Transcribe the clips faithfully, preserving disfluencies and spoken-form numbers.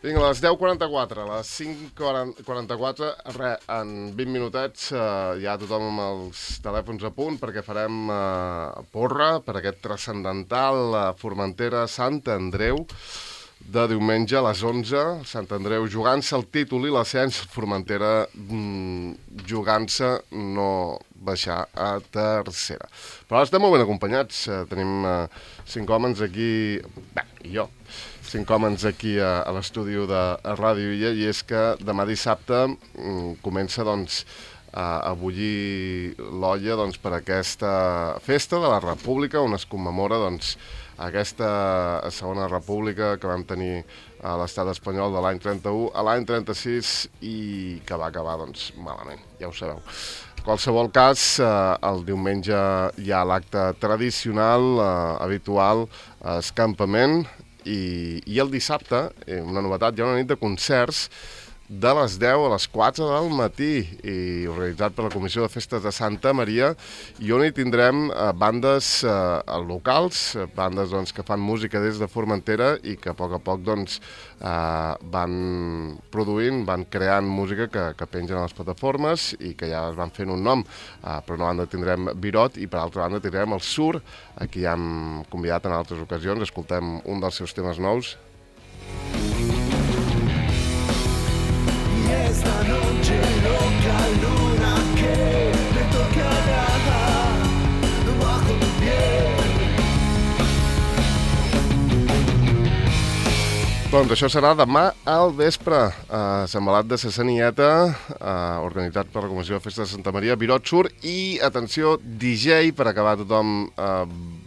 Vinga, a les deu quaranta-quatre, a les cinc quaranta-quatre, re, en vint minutets eh, ja tothom amb els telèfons a punt perquè farem eh, porra per aquest transcendental eh, Formentera Sant Andreu de diumenge a les onze. Sant Andreu jugant-se el títol i l'ascens, Formentera mm, jugant-se no baixar a tercera. Però estem molt ben acompanyats, eh, tenim eh, cinc homes aquí, bé, i jo, cinc homes aquí a, a l'estudi de Ràdio Illa, i és que demà dissabte mm, comença doncs, a, a bullir l'olla doncs, per aquesta festa de la República on es commemora doncs, aquesta segona república que vam tenir a l'estat espanyol de l'any trenta-u a l'any trenta-sis i que va acabar doncs, malament, ja ho sabeu. En qualsevol cas, eh, el diumenge hi ha l'acte tradicional, eh, habitual, escampament, i, i el dissabte, eh, una novetat, hi ha una nit de concerts de les deu a les quatre del matí, i organitzat per la Comissió de Festes de Santa Maria, i on hi tindrem eh, bandes eh, locals, bandes doncs, que fan música des de Formentera i que a poc a poc doncs, eh, van produint, van creant música que, que pengen a les plataformes i que ja es van fent un nom. Eh, per una banda tindrem Birot i per altra banda tindrem el Sur, a qui ja hem convidat en altres ocasions. Escoltem un dels seus temes nous. Esta noche loca luna que me tocará bajo tu piel. Doncs això serà demà al vespre, a Sant Malat de Sassanieta, eh, organitzat per la Comissió de Festes de Santa Maria, Birot Sur, i, atenció, D J, per acabar tothom eh,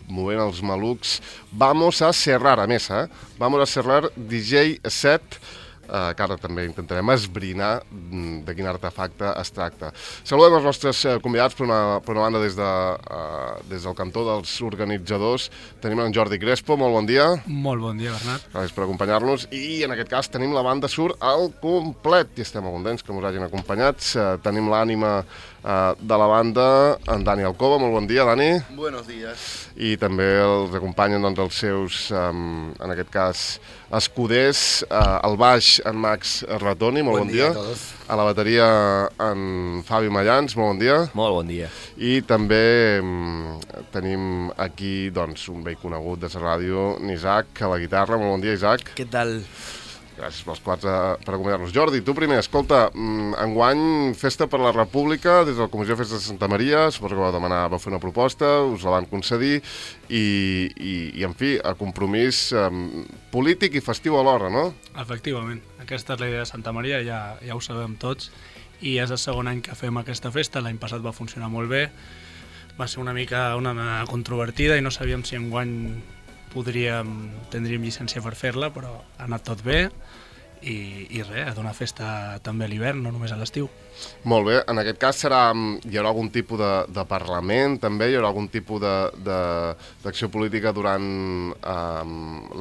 movent els malucs, Vamos a Cerrar, a més, eh? Vamos a Cerrar D J set, Uh, que ara també intentarem esbrinar de quin artefacte es tracta. Saludem els nostres uh, convidats, per una, per una banda des, de, uh, des del cantó dels organitzadors. Tenim en Jordi Crespo, molt bon dia. Molt bon dia, Bernat. Gràcies per acompanyar-nos. I en aquest cas tenim la banda Sur al complet, i estem molt contents que ens hagin acompanyats. Uh, tenim l'ànima uh, de la banda, en Dani Alcoba, molt bon dia, Dani. Buenos días. I també els acompanyen doncs, els seus, um, en aquest cas, escuders, uh, al baix en Max Ratoni, molt bon, bon dia. dia. A todos. A la bateria en Fabi Mallans, molt bon dia. Molt bon dia. I també um, tenim aquí doncs, un vell conegut de la ràdio, Isaac, a la guitarra. Molt bon dia, Isaac. Què tal? Gràcies pels quatre per acompanyar-nos. Jordi, tu primer, escolta, enguany Festa per la República, des de la Comissió de Festes de Santa Maria, suposo que vau demanar, vau fer una proposta, us la van concedir, i, i, i en fi, a compromís um, polític i festiu alhora, no? Efectivament, aquesta és la idea de Santa Maria, ja, ja ho sabem tots, i és el segon any que fem aquesta festa. L'any passat va funcionar molt bé, va ser una mica una controvertida i no sabíem si enguany podríem, tindríem llicència per fer-la, però ha anat tot bé i, i res, a donar festa també a l'hivern, no només a l'estiu. Molt bé, en aquest cas serà, hi haurà algun tipus de, de parlament també, hi haurà algun tipus d'acció política durant um,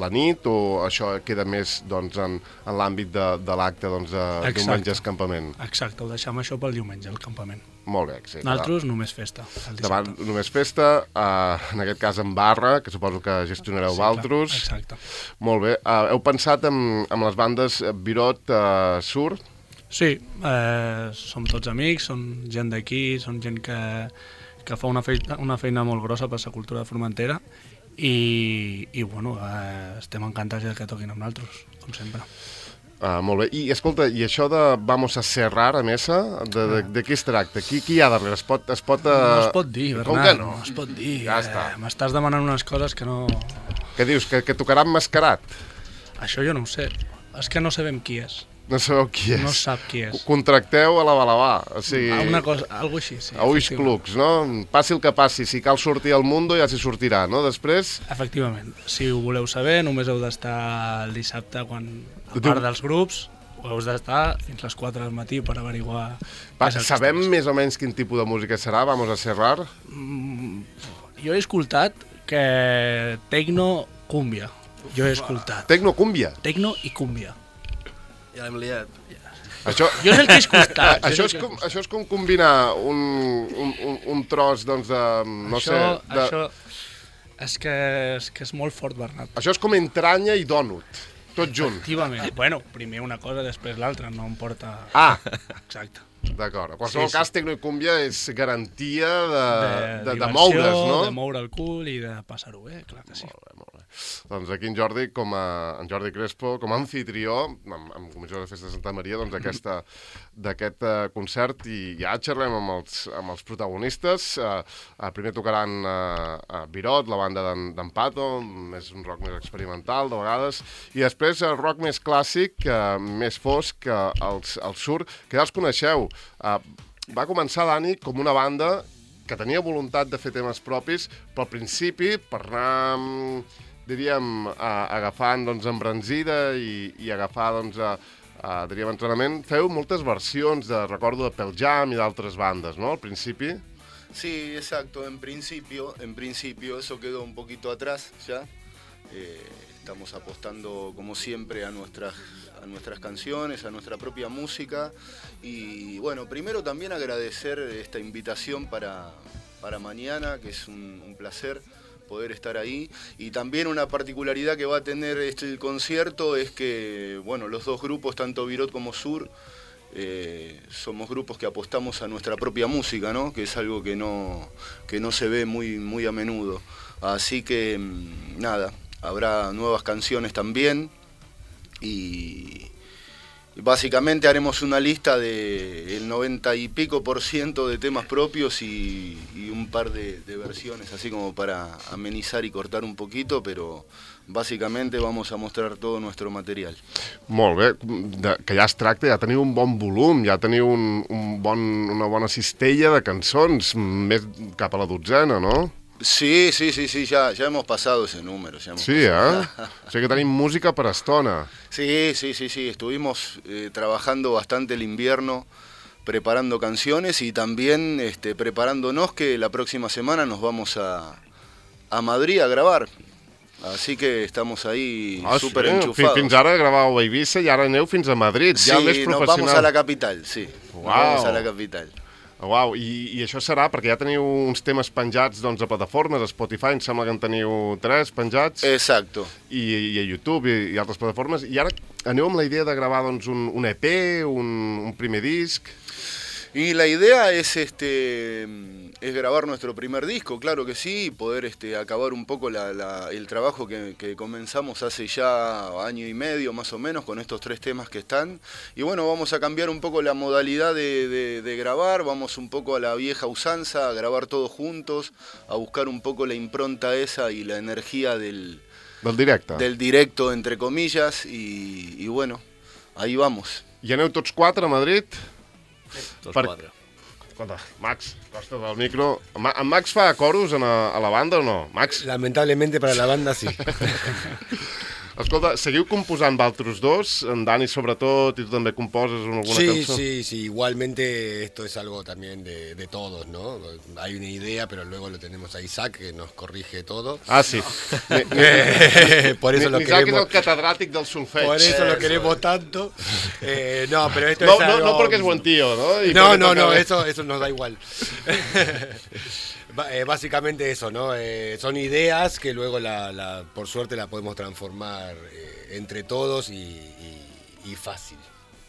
la nit, o això queda més doncs, en, en l'àmbit de, de l'acte doncs, de diumenge escampament? Exacte, ho deixem això pel diumenge, el campament. Molt bé, sí. Nosaltres només festa, el dissabte. Davant només festa, uh, en aquest cas en barra, que suposo que gestionareu sí, vosaltres. Exacte. Molt bé. Uh, heu pensat en, en les bandes Birot, uh, Sur? Sí, eh, som tots amics, som gent d'aquí, som gent que, que fa una feina, una feina molt grossa per la cultura de Formentera i, i bueno, eh, estem encantats que toquin amb nosaltres, com sempre. Uh, molt bé. I escolta, i això de Vamos a Cerrar a Mesa, de, de, de què es tracta? Qui, qui hi ha darrere? Es pot... Es pot uh... No es pot dir, Bernat, Com que no? no es pot dir. Ja està. Eh, M'estàs demanant unes coses que no... Què dius? Que, que tocarà emmascarat? Això jo no ho sé. És que no sabem qui és. No sabeu qui és? No sap qui és. Contracteu a la Balabà, o sigui... Una cosa, algo així, sí. A ulls clucs, no? Passi el que passi, si cal sortir al Mundo ja s'hi sortirà, no? Després... Efectivament. Si ho voleu saber, només heu d'estar el dissabte quan, a part dels grups, ho heu d'estar fins les quatre del matí per averiguar... Va, sabem més o menys quin tipus de música serà, Vamos a Cerrar? Mm, jo he escoltat que tecno cúmbia. Jo he escoltat. Tecno cúmbia? Tecno i cúmbia. Ja l'hem liat. Això... Jo és el que he escoltat. això, és com, això és com combinar un, un, un, un tros, doncs, de... No això, sé... De... Això és que, és que és molt fort, Bernat. Això és com entranya i dònut. tot junt. Efectivament. Bueno, primer una cosa, després l'altra, no em porta... Ah, Exacte. d'acord. En qualsevol Sí, sí. cas, Tecnoicúmbia és garantia de, de, de, de diversió, moure's, no? de moure el cul i de passar-ho bé, clar que sí. Molt bé, molt bé. Doncs aquí en Jordi, com a, en Jordi Crespo, com a anfitrió, amb, amb Comissió de Festa de Santa Maria, doncs aquesta, d'aquest uh, concert, i ja xerrem amb els, amb els protagonistes. Uh, uh, primer tocaran uh, uh, Virot, la banda d'en Pato, és un rock més experimental, de vegades, i després el rock més clàssic, uh, més fosc, uh, els, els Sur, que ja els coneixeu. Uh, va començar, Dani, com una banda que tenia voluntat de fer temes propis, però al principi, per anar, diríem, a, agafant doncs, embranzida i, i agafar, doncs, a, a, diríem, entrenament, feu moltes versions, de recordo, de Pearl Jam i d'altres bandes, no?, al principi? Sí, exacto, en principio, en principio eso quedó un poquito atrás ya. Eh, estamos apostando como siempre a nuestras, a nuestras canciones, a nuestra propia música y bueno, primero también agradecer esta invitación para, para mañana, que es un, un placer poder estar ahí, y también una particularidad que va a tener este concierto es que, bueno, los dos grupos, tanto Virot como Sur, eh, somos grupos que apostamos a nuestra propia música, ¿no? Que es algo que no, que no se ve muy, muy a menudo. Así que, nada, habrá nuevas canciones también, y básicamente haremos una lista de el noventa y pico por ciento de temas propios y, y un par de, de versiones, así como para amenizar y cortar un poquito, pero bàsicament vamos a mostrar tot el nostre material. Molt bé, de, que ja es tracta, ja teniu un bon volum, ja teniu un, un bon, una bona cistella de cançons, més cap a la dotzena, no? Sí, sí, sí, sí, ya, ya hemos pasado ese número. Ya hemos sí, pasado. ¿eh? O sigui que tenim música per estona. Sí, sí, sí, sí, estuvimos eh, trabajando bastante el invierno, preparando canciones y también este, preparándonos que la próxima semana nos vamos a, a Madrid a grabar. Así que estamos ahí ah, súper sí? enchufados. Fins ara gravàveu a Eivissa i ara aneu fins a Madrid, sí, ja més professional. Sí, nos vamos a la capital, sí. Wow. Nos vamos a la capital. Uau, I, i això serà perquè ja teniu uns temes penjats doncs, a plataformes, a Spotify, em sembla que en teniu tres penjats. Exacto. I, i a YouTube i, i altres plataformes. I ara aneu amb la idea de gravar doncs, un, un E P, un, un primer disc? Y la idea es este es grabar nuestro primer disco, claro que sí, y poder este, acabar un poco la, la, el trabajo que, que comenzamos hace ya año y medio más o menos con estos tres temas que están. Y bueno, vamos a cambiar un poco la modalidad de, de, de grabar, vamos un poco a la vieja usanza, a grabar todos juntos, a buscar un poco la impronta esa y la energía del, del directe, del directo entre comillas, y, y bueno, ahí vamos. I aneu tots quatre a Madrid? Tots per... quatre. Escolta, Max, costa del micro. Ma en Max fa coros a, a la banda o no? Max? Lamentablemente para la banda sí. Escolta, seguiu composant vosaltres dos, en Dani sobretot, i tu també composes alguna sí, cançó? Sí, sí, igualmente esto es algo también de, de todos, ¿no? Hay una idea, pero luego lo tenemos a Isaac, que nos corrige todo. Ah, sí. Ni, ni, por eso lo Isaac queremos, és el catedràtic del solfeig. por eso lo queremos tanto. Eh, no, pero esto No, es algo... no, no porque es buen tío, ¿no? Y no, porque no, toca no, bien. eso, eso nos da igual. Eh, básicamente eso, ¿no? Eh, son ideas que luego, la, la, por suerte, la podemos transformar eh, entre todos y, y, y fácil.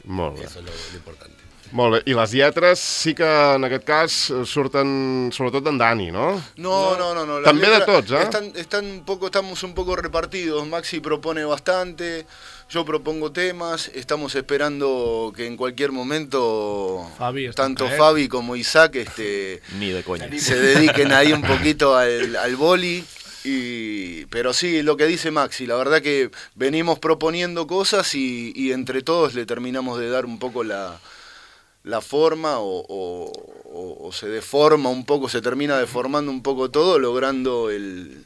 Molt bé. Eso es lo, lo importante. Molt bé. I les lletres sí que en aquest cas surten sobretot d'en Dani, no? No, no, no, no. Las També de letras tots, eh? Están, están un poco, estamos un poco repartidos. Maxi propone bastante, yo propongo temas. Estamos esperando que en cualquier momento Fabi está tanto en caer. Fabi como Isaac este, Ni de coña. se dediquen ahí un poquito al, al boli. Y, pero sí, lo que dice Maxi, la verdad que venimos proponiendo cosas y, y entre todos le terminamos de dar un poco la... la forma o, o, o, o se deforma un poco, se termina deformando un poco todo, logrando el,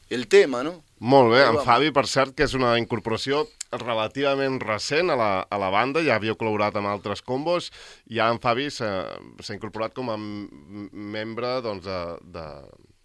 el tema, ¿no? Molt bé, Ahí en vamos. Fabi, per cert, que és una incorporació relativament recent a la, a la banda, ja havíeu col·laborat amb altres combos, i ja en Fabi s'ha incorporat com a membre doncs, de, de,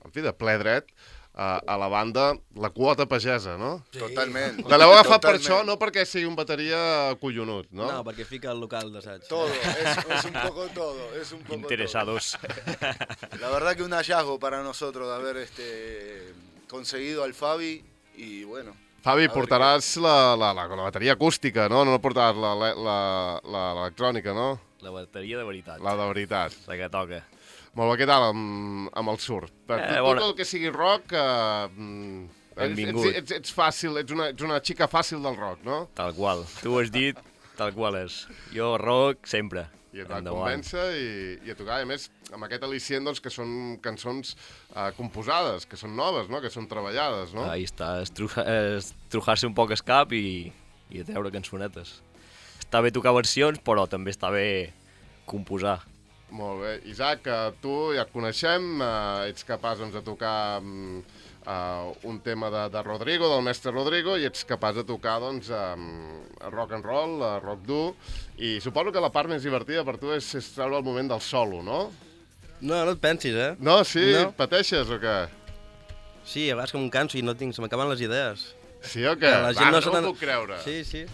en fi, de ple dret a, a la banda, la quota pagesa, no? Totalment. Que l'heu agafat per Totalment. això, no perquè sigui un bateria collonut, no? No, perquè fica el local d'assaig. Todo, es, es un poco todo, es un poco Interesados. todo. La verdad que un hallazgo para nosotros de haber este, conseguido al Fabi y bueno, Fabi, portaràs la, la, la, la bateria acústica, no? No portaràs la- la- la- la- l'electrònica, no? La bateria de veritat. La de veritat. La que toca. Molt bé, què tal amb, amb el surf? Per Eh, tot, bona. tot el que sigui rock, eh, mm, ets, Benvingut. ets, ets, ets fàcil, ets una, ets una xica fàcil del rock, no? Tal qual. Tu ho has dit, tal qual és. Jo rock sempre. I et va Endavant. convèncer i, i a tocar. I a més, amb aquest al·licient, doncs, que són cançons eh, composades, que són noves, no? Que són treballades, no? Ahí està, estruja- estrujar-se un poc el cap i, i treure cançonetes. Està bé tocar versions, però també està bé composar. Molt bé. Isaac, eh, tu ja et coneixem, eh, ets capaç doncs, de tocar mm, eh, un tema de, de Rodrigo, del mestre Rodrigo, i ets capaç de tocar doncs, eh, rock and roll, eh, rock dur, i suposo que la part més divertida per tu és, és treure el moment del solo, no? No, no et pensis, eh? No, sí? No. Pateixes o què? Sí, a vegades que em canso i no tinc, se m'acaben les idees. Sí o què? Que la Va, gent no no, se no n'ha- ho puc creure. Sí, sí.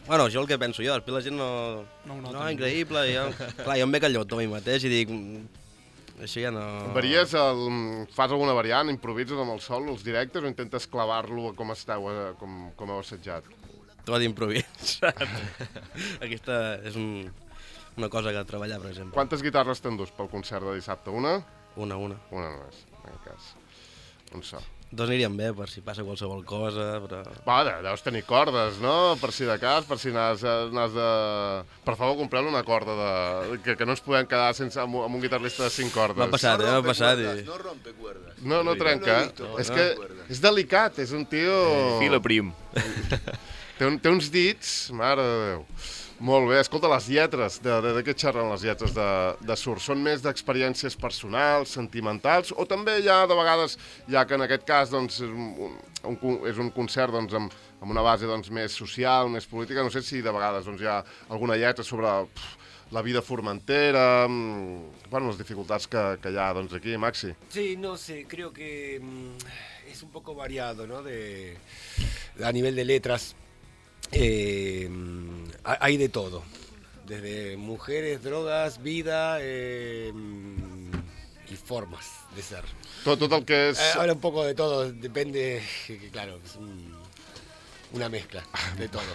Bueno, jo el que penso jo, després la gent no... No ho nota No, ningú. increïble, i jo... Clar, jo em veig al llotó a mi mateix i dic... "Mm, Això ja no... Varies el, fas alguna variant, improvises amb el solo, els directes, o intentes clavar-lo com esteu, eh, com, com heu assetjat? Tot d'improvís. Aquesta és un, una cosa que a treballar, per exemple. Quantes guitarres t'endús pel concert de dissabte? Una? Una, una. Una només, en aquest cas. Un so. Dos anirien bé per si passa qualsevol cosa, però... Va, de- deus tenir cordes, no? Per si de cas, per si n'has n'has de... Per favor, compreu una corda de... Que, que no ens podem quedar sense, amb, un- amb un guitarrista de cinc cordes. M'ha passat, eh? M'ha rompe passat cuerdas, i... no rompe cuerdas. No, no trenca. Lo he visto, és no que recuerda. és delicat, és un tio... Fila prim. Té, un, té uns dits, mare de Déu. Molt bé, escolta, les lletres, de, de, de què xerren les lletres de, de surf? Són més d'experiències personals, sentimentals, o també hi ha de vegades, ja que en aquest cas doncs, és, un, un, con- és un concert doncs, amb, amb una base doncs, més social, més política, no sé si de vegades doncs, hi ha alguna lletra sobre pff, la vida formentera, mm, bueno, les dificultats que, que hi ha doncs, aquí, Maxi. Sí, no sé, creo que mm, es un poco variado, ¿no? De, a nivel de letras, eh, mm, ha- hay de todo, desde mujeres, drogas, vida eh, mm, y formas de ser. Tot, tot el que és... Eh, Ahora un poco de todo, depende, que, que claro, es un- una mezcla de todo.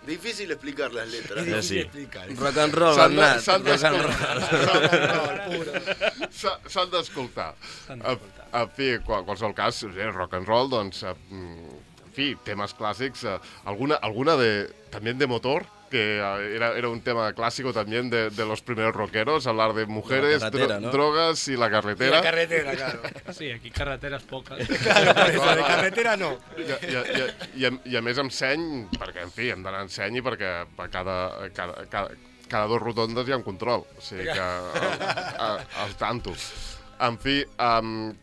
Difícil explicar las letras. Es difícil sí. explicar. Rock and roll, S'han de- Bernat, s'han rock and roll. d'escoltar. S'ha- S'han d'escoltar. S'han En d'escoltar. en fi, en qualsevol cas, eh, rock and roll, doncs, eh, mm, en fi, temes clàssics, eh, alguna, alguna de, también de motor, que eh, era, era un tema clásico también de, de los primeros rockeros, hablar de mujeres, carretera, dro- ¿no? drogas y la Y la carretera. carretera, claro. Sí, aquí carreteres poques. Claro, por eso, de carretera no. I, i, i, i, a, I a més amb seny, perquè, en fi, hem d'anar amb seny i perquè a cada, cada, cada, cada dos rotondes hi ha un control. O sigui que al, a, al tanto. En fi, um,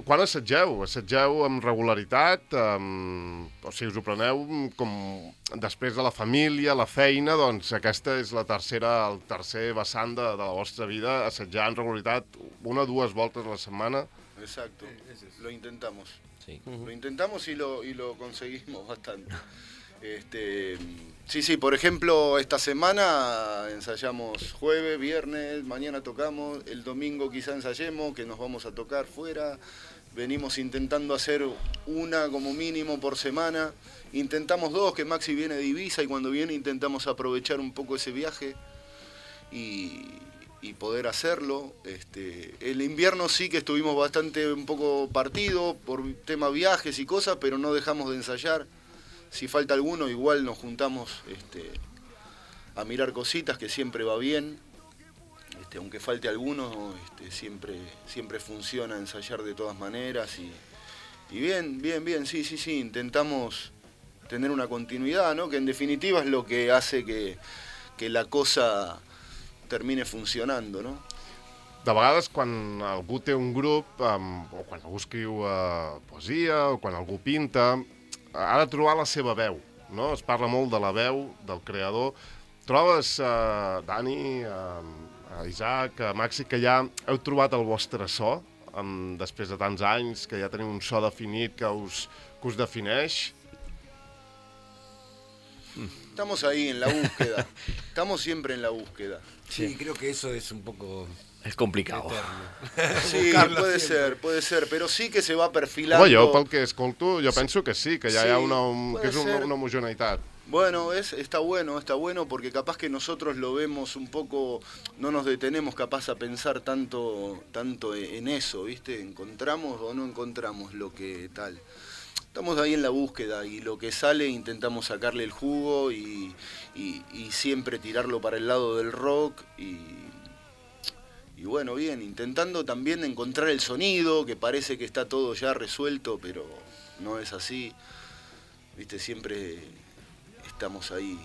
quan assageu? Assageu amb regularitat? Um, o sigui, us ho preneu com després de la família, la feina, doncs aquesta és la tercera, el tercer vessant de, de la vostra vida, assetjar amb regularitat una o dues voltes a la setmana. Exacto, lo intentamos. Sí. Lo intentamos y lo, y lo conseguimos bastante. Este, sí, sí, por ejemplo, esta semana ensayamos jueves, viernes, mañana tocamos, el domingo quizá ensayemos, que nos vamos a tocar fuera. Venimos intentando hacer una como mínimo por semana. Intentamos dos, que Maxi viene de Ibiza y cuando viene intentamos aprovechar un poco ese viaje y, y poder hacerlo. Este, el invierno sí que estuvimos bastante un poco partido por tema viajes y cosas, pero no dejamos de ensayar. Si falta alguno, igual nos juntamos este, a mirar cositas, que siempre va bien. Este, aunque falte alguno, este, siempre, siempre funciona ensayar de todas maneras. Y, y bien, bien, bien, sí, sí, sí, intentamos tener una continuidad, ¿no? Que en definitiva es lo que hace que, que la cosa termine funcionando, no? De vegades, quan algú té un grup, um, o quan algú escriu uh, poesia, o quan algú pinta, ha de trobar la seva veu, no? Es parla molt de la veu, del creador. Trobes, uh, Dani, uh, Isaac, uh, Maxi, que ja heu trobat el vostre so, um, després de tants anys, que ja teniu un so definit que us, que us defineix? Estamos ahí en la búsqueda. Estamos siempre en la búsqueda. Sí, creo que eso es un poco És complicat. eterno. Sí, Buscarlo puede siempre. ser, puede ser, pero sí que se va perfilando. Home, jo pel que escolto, jo penso que sí, que ja Sí, hi ha una, un, puede que és una, ser. una homogeneïtat. Bueno, es, está bueno, está bueno porque capaz que nosotros lo vemos un poco, no nos detenemos capaz a pensar tanto, tanto en eso, ¿viste? ¿Encontramos o no encontramos lo que tal? Estamos ahí en la búsqueda y lo que sale intentamos sacarle el jugo y, y, y siempre tirarlo para el lado del rock y, y bueno, bien, intentando también encontrar el sonido, que parece que está todo ya resuelto, pero no es así, ¿viste? Siempre estamos ahí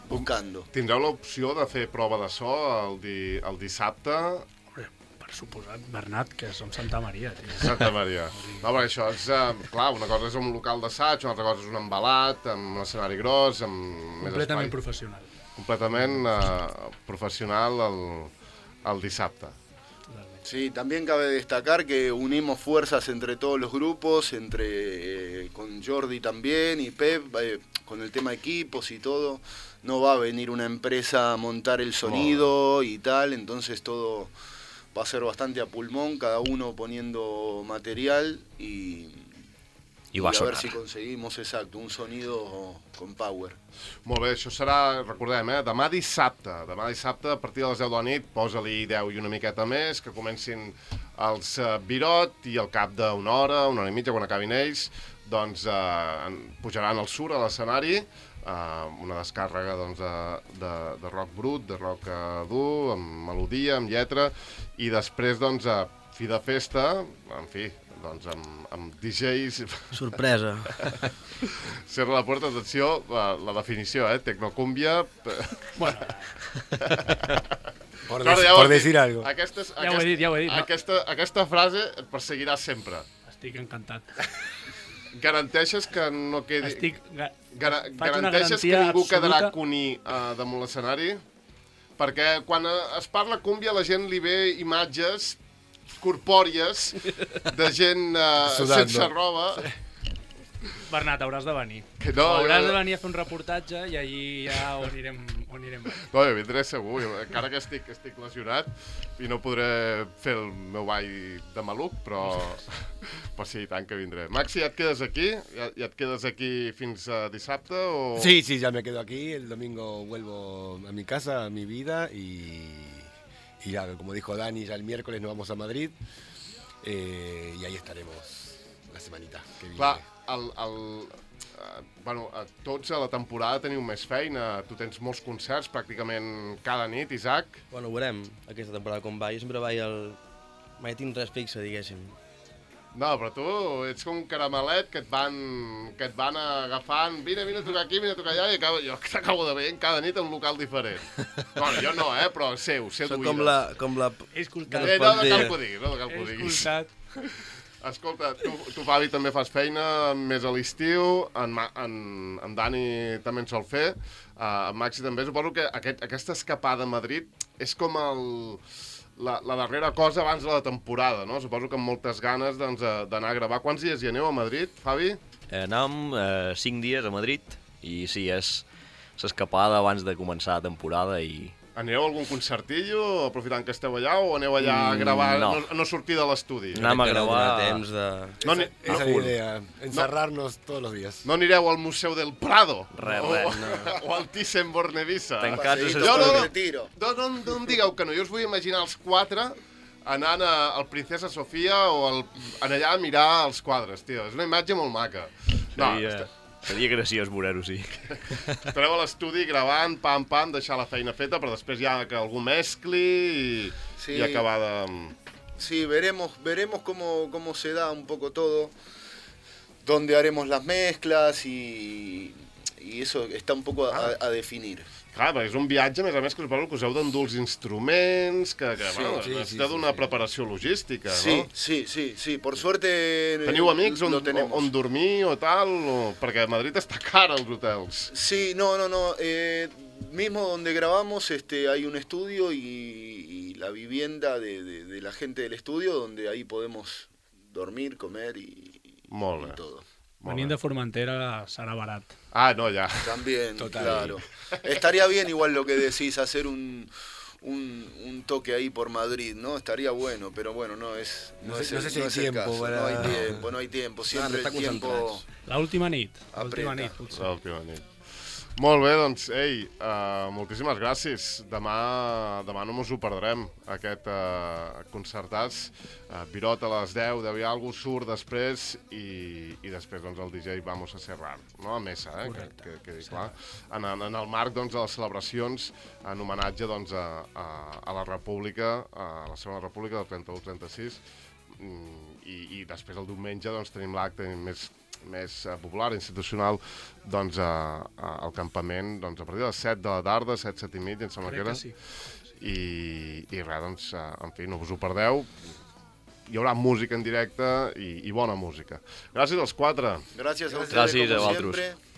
buscando. Tindreu l'opció de fer prova de so el, di, el dissabte Hombre, per suposat, Bernat, que som Santa Maria, tio. Santa Maria. No, perquè això és, eh, clar, una cosa és un local d'assaig, una altra cosa és un embalat, amb un escenari gros, amb més Completament espai. professional. Completament eh, professional el, el dissabte. Sí, también cabe destacar que unimos fuerzas entre todos los grupos, entre eh, con Jordi también y Pep, eh, con el tema equipos y todo. No va a venir una empresa a montar el sonido y tal, entonces todo va a ser bastante a pulmón, cada uno poniendo material y, I va y a ver sonar. si conseguimos, exacto, un sonido con power. Molt bé, això serà, recordem, eh, demà dissabte. Demà dissabte, a partir de les deu de la nit, posa-li deu i una miqueta més, que comencin els uh, Birot i al cap d'una hora, una hora i mitja, quan acabin ells, doncs uh, pujaran al sur a l'escenari, uh, una descàrrega doncs, de, de, de rock brut, de rock uh, dur, amb melodia, amb lletra, i després, doncs, a fi de festa, en fi, doncs amb, amb D Js... Sorpresa. Cerra la puerta, atenció, la, la definició, eh? Tecnocúmbia... Bueno, Por, Claro, dec- ja ho por has dit. decir algo. Aquestes, Ja ho he dit, ja ho he dit, no? Aquesta, aquesta frase et perseguirà sempre. estic encantat. Garanteixes que no quedi... Estic... Ga... Gara, faig una garanteixes que garantia ningú quedarà absoluta. cuní uh, damunt l'escenari? Perquè quan eh, es parla cúmbia la gent li ve imatges corpòries de gent uh, Sudando. sense roba. Bernat, hauràs de venir. Que no, hauràs jo- de venir a fer un reportatge i allí ja ho anirem, ho anirem. No, jo vindré segur, jo, encara que estic, estic lesionat i no podré fer el meu ball de maluc, però, però sí, i tant que vindré. Maxi, ja et quedes aquí? Ja, ja et quedes aquí fins a dissabte? O... Sí, sí, ya me quedo aquí. El domingo vuelvo a mi casa, a mi vida y, y ya, como dijo Dani, ya el miércoles nos vamos a Madrid eh, y ahí estaremos la semanita que viene. Clar, el, el, eh, bueno, eh, tots a la temporada teniu més feina, tu tens molts concerts pràcticament cada nit, Isaac. Bueno, ho veurem aquesta temporada com va. Jo sempre vaig al... Mai tinc res fixe, diguéssim. No, però tu ets com un caramelet que et van, que et van agafant, vine, vine a tocar aquí, vine a tocar allà, i acabo, jo t'acabo de veient cada nit en un local diferent. Bueno, jo no, eh, però seu, seu Soc d'oïdes. com la... Com la... He escoltat. Eh, es no, pot no dir. cal que ho diguis, no cal que ho He diguis. escoltat. Escolta, tu, tu Fabi, també fas feina més a l'estiu, en, Ma, en, en Dani també en sol fer, uh, en Maxi també. Suposo que aquest, aquesta escapada a Madrid és com el, la, la darrera cosa abans de la temporada, no? Suposo que amb moltes ganes doncs, eh, d'anar a gravar. Quants dies hi aneu a Madrid, Fabi? Eh, anàvem eh, cinc dies a Madrid i sí, és l'escapada abans de començar la temporada i... Aneu a algun concertillo, aprofitant que esteu allà, o aneu allà a gravar, Mm, no. no, no sortir de l'estudi? Anem a Crec que no gravar... donarà temps de... No, ni, Esa es la no, idea, encerrarnos todos los días. no anireu al Museu del Prado? Res, o, res, no. O al Thyssen-Bornemisza? Tancats a Paseíto Jo por no, el no. retiro. No, no, no em digueu que no, jo us vull imaginar els quatre anant a, al Princesa Sofia o al, en allà a mirar els quadres, tio. És una imatge molt maca. No, Seria, est- seria graciós veure-ho, sí. estareu a l'estudi gravant, pam, pam, deixar la feina feta, però després ja que algú mescli i, Sí. i acabar de... Sí, veremos, veremos cómo, cómo se da un poco todo, dónde haremos las mezclas y, y eso está un poco a, a definir. Clar, perquè és un viatge, a més a més, que suposo que us heu d'endur els instruments, que, que Sí, bueno, sí, necessita sí, d'una sí. preparació logística, Sí, no? sí, sí, sí, por suerte eh, Teniu amics on, lo tenemos. on dormir o tal? O... Perquè a Madrid està car, els hotels. Sí, no, no, no. eh, mismo donde grabamos este, hay un estudio y, y la vivienda de, de, de la gente del estudio donde ahí podemos dormir, comer y, Molt y bé. todo. Venint de Formentera serà barat. Ah, no, ya. También, Total. claro. Estaría bien igual lo que decís, hacer un, un, un toque ahí por Madrid, ¿no? Estaría bueno, pero bueno, no es, no No sé- es no el, sé si no hay es el tiempo caso. para- No hay tiempo, no hay tiempo. Siempre no el està tiempo... concentrats. L'última nit, l'última Apreta. nit, potser. L'última nit. Molt bé, doncs, ei, uh, moltíssimes gràcies. Demà, demà no mos ho perdrem, aquest uh, concertats. Uh, Virot a les deu, deu i alguna cosa, surt després i, i després doncs, el D J Vamos a Cerrar, no? A Mesa, eh? Que, que, que dic, clar. En, en el marc doncs, de les celebracions en homenatge doncs, a, a, a la República, a la Segona República del trenta-u trenta-sis, i, i després el diumenge doncs, tenim l'acte més més uh, popular, institucional, doncs uh, uh, al campament doncs, a partir de les set de la tarda, set, set i mitja, em sembla Crec que era. que sí. I, i res, doncs, uh, en fi, no us ho perdeu. Hi haurà música en directe i, i bona música. Gràcies als quatre. Gracias a ustedes, Gràcies a como vosaltres. siempre.